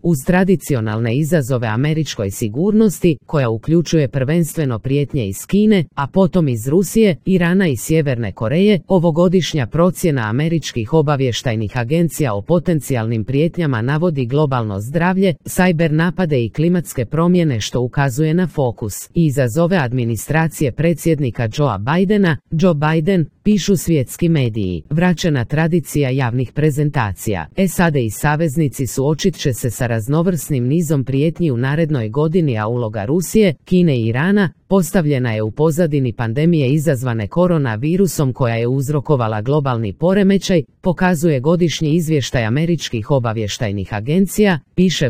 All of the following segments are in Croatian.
Uz tradicionalne izazove američkoj sigurnosti, koja uključuje prvenstveno prijetnje iz Kine, a potom iz Rusije, Irana i Sjeverne Koreje, ovogodišnja procjena američkih obavještajnih agencija o potencijalnim prijetnjama navodi globalno zdravlje, sajber napade i klimatske promjene, što ukazuje na fokus i izazove administracije predsjednika Joea Bidena. Joe Biden, pišu svjetski mediji, vraćena tradicija javnih prezentacija. SAD i saveznici suočit će se sa raznovrsnim nizom prijetnji u narednoj godini, a uloga Rusije, Kine i Irana postavljena je u pozadini pandemije izazvane koronavirusom koja je uzrokovala globalni poremećaj, pokazuje godišnji izvještaj američkih obavještajnih agencija, piše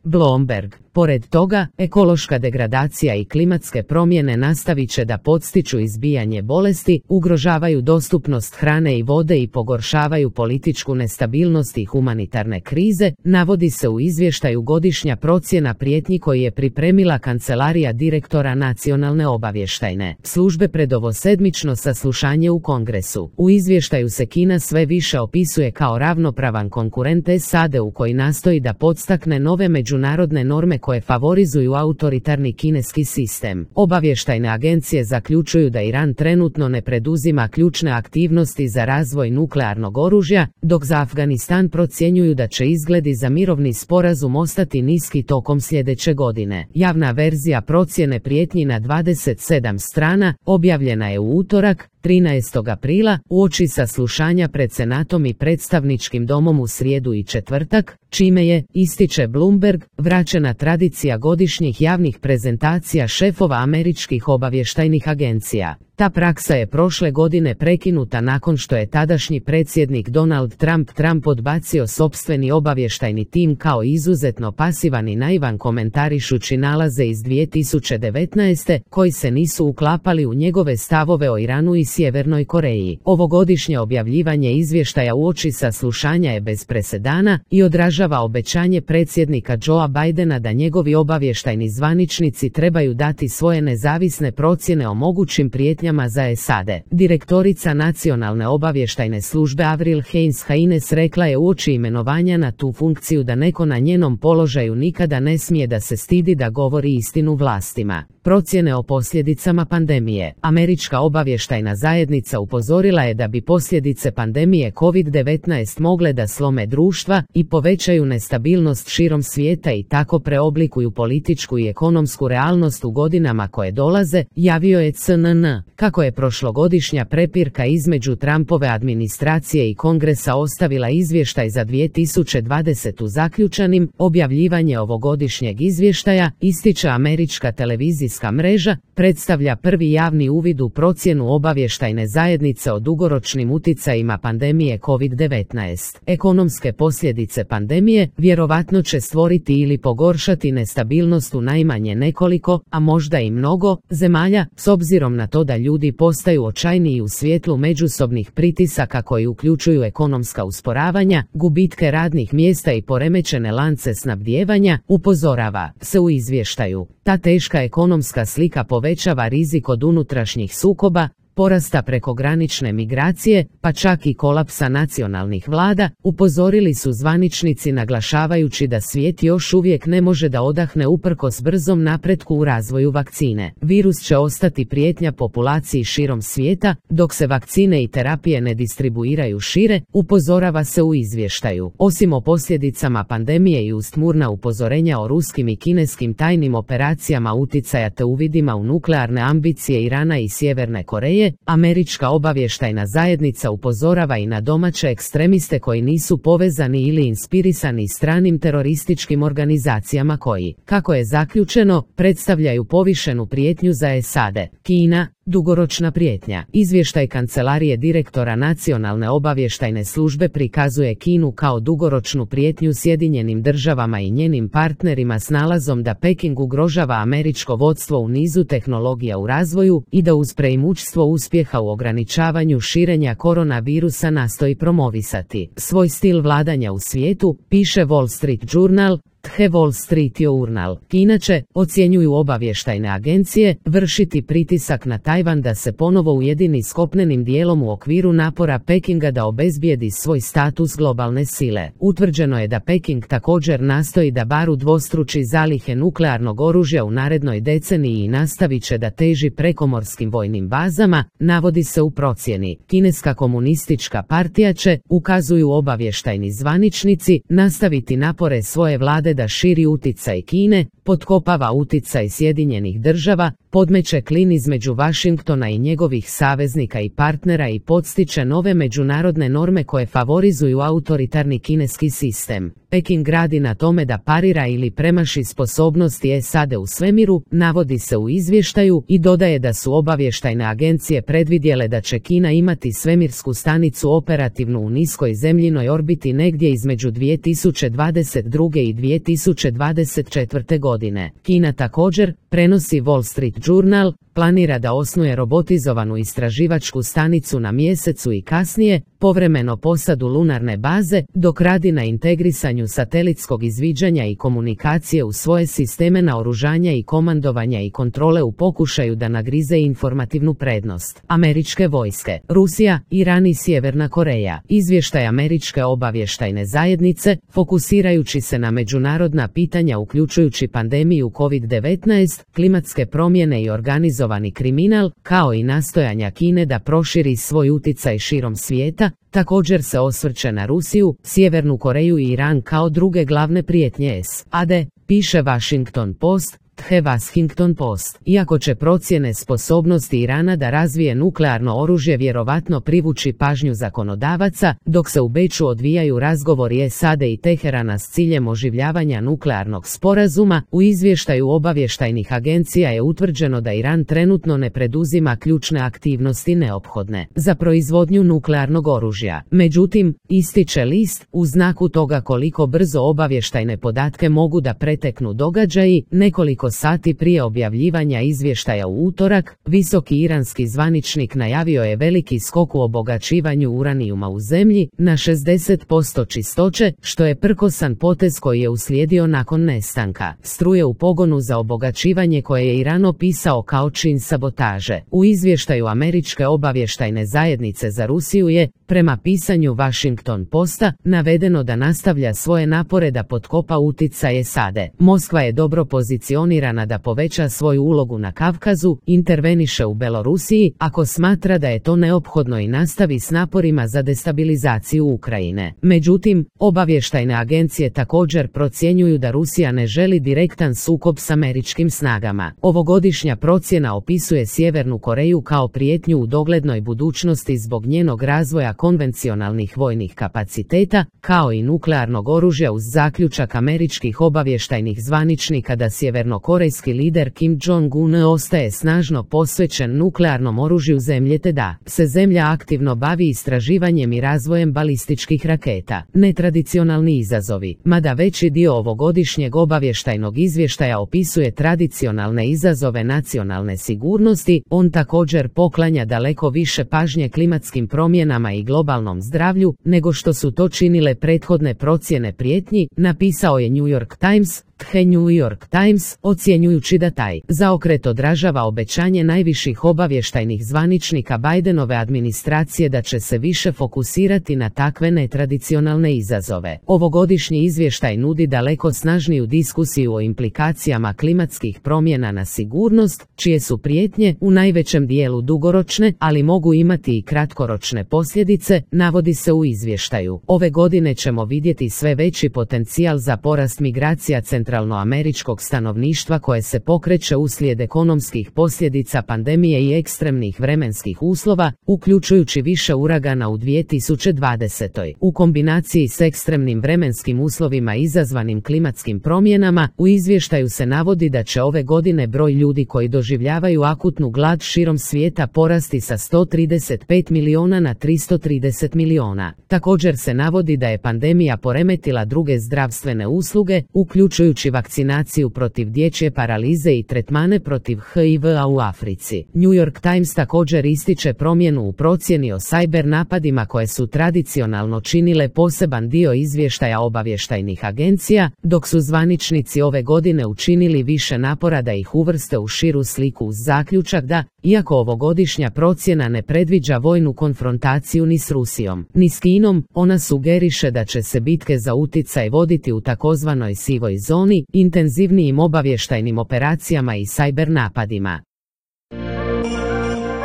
Bloomberg. Pored toga, ekološka degradacija i klimatske promjene nastavit će da podstiču izbijanje bolesti, ugrožavaju dostupnost hrane i vode i pogoršavaju političku nestabilnost i humanitarne krize, navodi se u izvještaju godišnja procjena prijetnji koji je pripremila kancelarija direktora Nacionalne obavještajne službe pred ovo sedmično saslušanje u Kongresu. U izvještaju se Kina sve više opisuje kao ravnopravan konkurent SAD-u koji nastoji da podstakne nove međunarodne norme koje favorizuju autoritarni kineski sistem. Obavještajne agencije zaključuju da Iran trenutno ne preduzima ključne aktivnosti za razvoj nuklearnog oružja, dok za Afganistan procjenjuju da će izgledi za mirovni sporazum ostati niski tokom sljedeće godine. Javna verzija procjene prijetnji na 27 strana objavljena je u utorak, 13. aprila, uoči saslušanja pred Senatom i predstavničkim domom u srijedu i četvrtak, čime je, ističe Bloomberg, vraćena tradicija godišnjih javnih prezentacija šefova američkih obavještajnih agencija. Ta praksa je prošle godine prekinuta nakon što je tadašnji predsjednik Donald Trump odbacio sopstveni obavještajni tim kao izuzetno pasivan i naivan, komentarišući nalaze iz 2019. koji se nisu uklapali u njegove stavove o Iranu i Sjevernoj Koreji. Ovogodišnje objavljivanje izvještaja uoči saslušanja je bez presedana i odražava obećanje predsjednika Joea Bidena da njegovi obavještajni zvaničnici trebaju dati svoje nezavisne procjene o mogućim prijetnjama za SAD. Direktorica Nacionalne obavještajne službe Avril Haines rekla je uoči imenovanja na tu funkciju da neko na njenom položaju nikada ne smije da se stidi da govori istinu vlastima. Procjene o posljedicama pandemije. Američka obavještajna zajednica upozorila je da bi posljedice pandemije COVID-19 mogle da slome društva i povećaju nestabilnost širom svijeta i tako preoblikuju političku i ekonomsku realnost u godinama koje dolaze, javio je CNN. Kako je prošlogodišnja prepirka između Trumpove administracije i Kongresa ostavila izvještaj za 2020. zaključanim, objavljivanje ovogodišnjeg izvještaja, ističe američka televizijska mreža, predstavlja prvi javni uvid u procjenu obavještajne zajednice o dugoročnim uticajima pandemije COVID-19. Ekonomske posljedice pandemije vjerovatno će stvoriti ili pogoršati nestabilnost u najmanje nekoliko, a možda i mnogo, zemalja, s obzirom na to da ljudi postaju očajniji u svjetlu međusobnih pritisaka koji uključuju ekonomska usporavanja, gubitke radnih mjesta i poremećene lance snabdijevanja, upozorava se u izvještaju. Ta teška ekonomska slika povećava rizik od unutrašnjih sukoba, porasta prekogranične migracije, pa čak i kolapsa nacionalnih vlada, upozorili su zvaničnici naglašavajući da svijet još uvijek ne može da odahne uprkos brzom napretku u razvoju vakcine. Virus će ostati prijetnja populaciji širom svijeta, dok se vakcine i terapije ne distribuiraju šire, upozorava se u izvještaju. Osim o posljedicama pandemije i uz tmurna upozorenja o ruskim i kineskim tajnim operacijama uticaja te uvidima u nuklearne ambicije Irana i Sjeverne Koreje, američka obavještajna zajednica upozorava i na domaće ekstremiste koji nisu povezani ili inspirisani stranim terorističkim organizacijama koji, kako je zaključeno, predstavljaju povišenu prijetnju za SAD. Kina, dugoročna prijetnja. Izvještaj kancelarije direktora Nacionalne obavještajne službe prikazuje Kinu kao dugoročnu prijetnju Sjedinjenim državama i njenim partnerima s nalazom da Peking ugrožava američko vodstvo u nizu tehnologija u razvoju i da uz preimućstvo uspjeha u ograničavanju širenja koronavirusa nastoji promovisati svoj stil vladanja u svijetu, piše Wall Street Journal, The Wall Street Journal. Kina će, ocjenjuju obavještajne agencije, vršiti pritisak na Tajvan da se ponovo ujedini s kopnenim dijelom u okviru napora Pekinga da obezbijedi svoj status globalne sile. Utvrđeno je da Peking također nastoji da bar udvostruči zalihe nuklearnog oružja u narednoj deceniji i nastavit će da teži prekomorskim vojnim bazama, navodi se u procjeni. Kineska komunistička partija će, ukazuju obavještajni zvaničnici, nastaviti napore svoje vlade da širi uticaj Kine, potkopava uticaj Sjedinjenih država, podmeće klin između Vašingtona i njegovih saveznika i partnera i podstiče nove međunarodne norme koje favorizuju autoritarni kineski sistem. Peking radi na tome da parira ili premaši sposobnosti SAD u svemiru, navodi se u izvještaju, i dodaje da su obavještajne agencije predvidjele da će Kina imati svemirsku stanicu operativnu u niskoj zemljinoj orbiti negdje između 2022. i 2024. godine. Kina također, prenosi Wall Street Journal, planira da osnuje robotizovanu istraživačku stanicu na Mjesecu i kasnije, povremeno posadu lunarne baze, dok radi na integrisanju satelitskog izviđanja i komunikacije u svoje sisteme naoružanja i komandovanja i kontrole u pokušaju da nagrize informativnu prednost američke vojske. Rusija, Iran i Sjeverna Koreja. Izvještaj američke obavještajne zajednice, fokusirajući se na međunarodna pitanja uključujući pandemiju COVID-19, klimatske promjene i organizovani kriminal, kao i nastojanja Kine da proširi svoj uticaj širom svijeta, također se osvrće na Rusiju, Sjevernu Koreju i Iran kao druge glavne prijetnje SAD, piše Washington Post. The Washington Post. Iako će procjene sposobnosti Irana da razvije nuklearno oružje vjerovatno privući pažnju zakonodavaca, dok se u Beču odvijaju razgovori SAD i Teherana s ciljem oživljavanja nuklearnog sporazuma, u izvještaju obavještajnih agencija je utvrđeno da Iran trenutno ne preduzima ključne aktivnosti neophodne za proizvodnju nuklearnog oružja. Međutim, ističe list, u znaku toga koliko brzo obavještajne podatke mogu da preteknu događaji, nekoliko sati prije objavljivanja izvještaja u utorak, visoki iranski zvaničnik najavio je veliki skok u obogaćivanju uranijuma u zemlji na 60% čistoće, što je prkosan potez koji je uslijedio nakon nestanka struje u pogonu za obogaćivanje koje je Iran opisao kao čin sabotaže. U izvještaju američke obavještajne zajednice za Rusiju je, prema pisanju Washington Posta, navedeno da nastavlja svoje napore da potkopa utjecaj SAD-a. Moskva je dobro pozicionirana da poveća svoju ulogu na Kavkazu, interveniše u Belorusiji, ako smatra da je to neophodno i nastavi s naporima za destabilizaciju Ukrajine. Međutim, obavještajne agencije također procjenjuju da Rusija ne želi direktan sukob s američkim snagama. Ovogodišnja procjena opisuje Sjevernu Koreju kao prijetnju u doglednoj budućnosti zbog njenog razvoja konvencionalnih vojnih kapaciteta, kao i nuklearnog oružja, uz zaključak američkih obavještajnih zvaničnika da sjevernokorejski lider Kim Jong-un ostaje snažno posvećen nuklearnom oružju zemlje te da se zemlja aktivno bavi istraživanjem i razvojem balističkih raketa. Netradicionalni izazovi. Mada veći dio ovogodišnjeg obavještajnog izvještaja opisuje tradicionalne izazove nacionalne sigurnosti, on također poklanja daleko više pažnje klimatskim promjenama i globalnom zdravlju, nego što su to činile prethodne procjene prijetnji, napisao je New York Times. The New York Times, ocjenjujući da taj zaokret odražava obećanje najviših obavještajnih zvaničnika Bidenove administracije da će se više fokusirati na takve netradicionalne izazove. Ovogodišnji izvještaj nudi daleko snažniju diskusiju o implikacijama klimatskih promjena na sigurnost, čije su prijetnje u najvećem dijelu dugoročne, ali mogu imati i kratkoročne posljedice, navodi se u izvještaju. Ove godine ćemo vidjeti sve veći potencijal za porast migracija centralnoameričkog stanovništva koje se pokreće uslijed ekonomskih posljedica pandemije i ekstremnih vremenskih uslova, uključujući više uragana u 2020. U kombinaciji s ekstremnim vremenskim uslovima izazvanim klimatskim promjenama, u izvještaju se navodi da će ove godine broj ljudi koji doživljavaju akutnu glad širom svijeta porasti sa 135 miliona na 330 miliona. Također se navodi da je pandemija poremetila druge zdravstvene usluge, uključujući uključujući vakcinaciju protiv dječje paralize i tretmane protiv HIV-a u Africi. New York Times također ističe promjenu u procjeni o cyber napadima koje su tradicionalno činile poseban dio izvještaja obavještajnih agencija, dok su zvaničnici ove godine učinili više napora da ih uvrste u širu sliku uz zaključak da, iako ovogodišnja procjena ne predviđa vojnu konfrontaciju ni s Rusijom, ni s Kinom, ona sugeriše da će se bitke za utjecaj voditi u takozvanoj sivoj zoni, intenzivnijim obavještajnim operacijama i cyber napadima.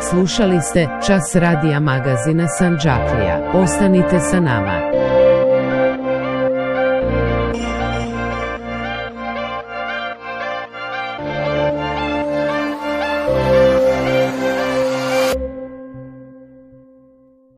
Slušali ste Čas radija magazina Sandžaklija. Ostanite sa nama.